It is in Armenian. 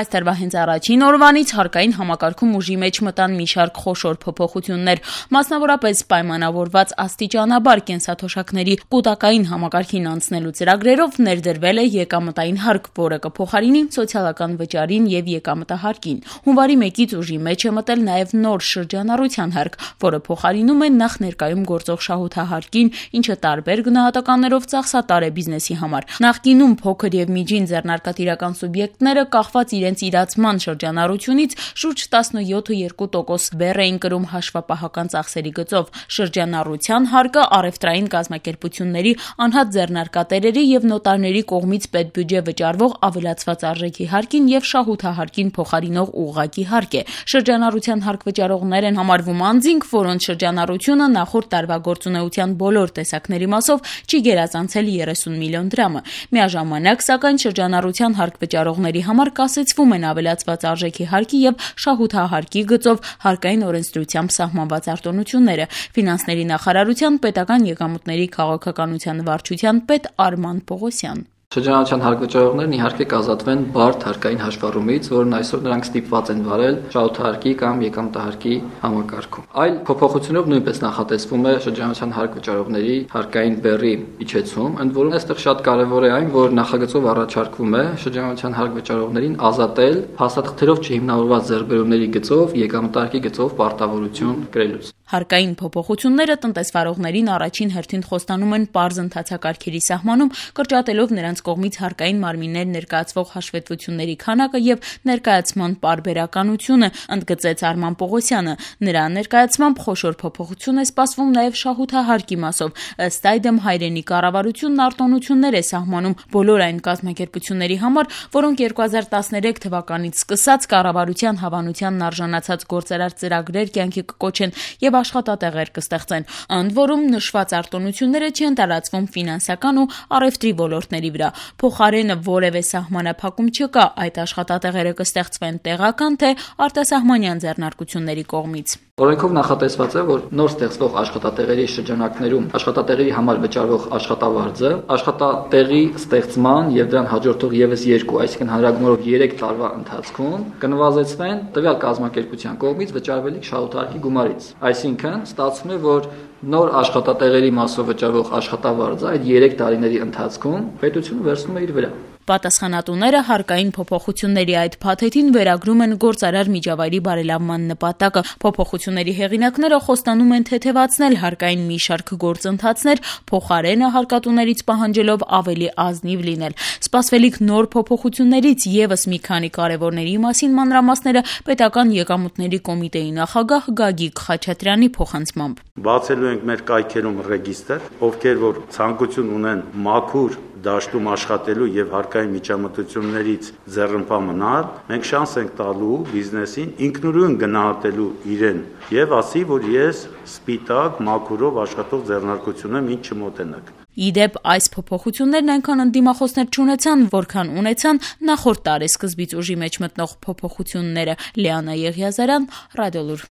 Այս տարվա հենց առաջին օրվանից հարկային համակարգում ուժի մեջ մտան մի շարք խոշոր փոփոխություններ, մասնավորապես պայմանավորված աստիճանաբար կենսաթոշակների կൂട്ടակային համակարգին անցնելու ծրագրերով ներդրվել է եկամտային հարկ, որը կփոխարինի սոցիալական վճարին եւ եկամտահարկին։ Հունվարի 1-ից ուժի մեջ է մտել նաեւ նոր շրջանառության հարկ, որը փոխարինում է նախ ներկայում գործող շահութահարկին, ինչը տարբեր գնահատականներով ծախսատար է բիզնեսի համար։ Նախկինում փոքր եւ միջին ձեռնարկատիրական սուբյեկտները կախված իրենց իրացման շրջանառությունից շուրջ 17.2% բեռ էին կրում հաշվապահական ծախսերի գծով։ Շրջանառության հարկը առևտրային կազմակերպությունների, անհատ ձեռնարկատերերի եւ նոտարների կողմից պետբյուջե վճարվող ավելացված արժեքի հարկին եւ շահութահարկին փոխարինող ուղղակի հարկ է։ Շրջանառության հարկ վճարողներ են համարվում անձինք, որոնց շրջանառությունը նախորդ տարվա գործունեության բոլոր տեսակների մասով չի գերազանցել 30 միլիոն դրամը։ Միաժամանակ, սակայն շրջանառության հարկ վճարողների համար կասեցվում են ավելացված արժեքի հարկի եւ շահութահարկի գծով հարկային օրենսդրությամբ սահմանված արտոնությունները։ Ֆինանսների նախարարության պետական եկամուտների քաղաքականության վարչության պետ Արման Պողոսյան։ Շրջանառության հարկ վճարողներն իհարկե կազատվեն բարդ հարկային հաշվառումից, որն այսօր նրանք ստիպված են վարել շահութահարկի կամ եկամտահարկի համակարգում։ Այլ փոփոխությունով նույնպես նախատեսվում է շրջանառության հարկ վճարողների հարկային բեռի իջեցում, ընդ որում այստեղ շատ կարևոր է այն, որ նախագծով առաջարկվում է շրջանառության հարկ վճարողներին ազատել փաստաթղթերով չհիմնավորված ձեռքբերումների գծով եկամտահարկի գծով պարտավորություն կրելուց։ Հարկային փոփոխությունները տնտեսվարողներին առաջին հերթին խոստանում են պարզ ընթացակարգերի սահմանում, կրճատելով նրանց կողմից հարկային մարմիններ ներկայացվող հաշվետվությունների քանակը եւ ներկայացման պարբերականությունը, ընդգծեց Արման Պողոսյանը։ Նրա ներկայացմամբ խոշոր փոփոխություն է սպասվում նաեւ շահութահարկի մասով։ Ըստ այդմ հայրենի կառավարությունն արտոնություններ է սահմանում բոլոր այն կազմակերպությունների համար, որոնք 2013 թվականից սկսած կառավարության հավանությանն արժանացած գործարար ծրագրեր կյանքի կկոչեն եւ աշխատատեղեր կստեղծեն։ Ընդ որում նշված արտոնությունները չեն տարածվում ֆինանսական ու առևտրի ոլորտների վրա։ Փոխարենը որևէ սահմանափակում չկա, այդ աշխատատեղերը կստեղծվեն տեղական թե արտասահմանյան ձեռնարկությունների կողմից։ Օրենքով նախատեսված է, որ նոր ստեղծվող աշխատատեղերի շրջանակներում աշխատատեղերի համար վճարվող աշխատավարձը աշխատատեղի ստեղծման եւ դրան հաջորդող եւս 2, այսինքն հանրագումարով 3 տարվա ընթացքում կնվազեցվեն տվյալ կազմակերպության կողմից վճարվելիք շահութահարկի գումարից։ Այսինքն ստացվում է, որ նոր աշխատատեղերի մասով վճարվող աշխատավարձը այդ 3 տարիների ընթացքում պետությունը վերցնում է իր վրա։ Պատասխանատուները հարկային փոփոխությունների այդ փաթեթին վերագրում են գործարար միջավայրի բարելավման նպատակը։ Փոփոխությունների հեղինակները խոստանում են թեթևացնել հարկային մի շարք գործընթացներ, փոխարենը հարկատուներից պահանջելով ավելի ազնիվ լինել։ Սպասվելիք նոր փոփոխություններից եւս մի քանի կարևորների մասին մանրամասները պետական եկամուտների կոմիտեի նախագահ Գագիկ Խաչատրյանի փոխանցմամբ։ Բացելու ենք մեր կայքերում ռեգիստր, ովքեր որ ցանկություն ունեն մաքուր դաշտում աշխատելու եւ հարկային միջամտություններից ձեռնպահ մնալ, մենք շանս ենք տալու բիզնեսին ինքնուրույն գնահատելու իրեն եւ ասի, որ ես սպիտակ մաքուրով աշխատող ձեռնարկություն եմ, ինչ չմոտենակ։ Իդեպ այս փոփոխություններն այնքան ընդդիմախոսներ չունեցան, որքան ունեցան նախորդ տարեսկզբից ուժի մեջ մտնող փոփոխությունները։ Լիանա Եղիազարյան, Ռադիոլուր։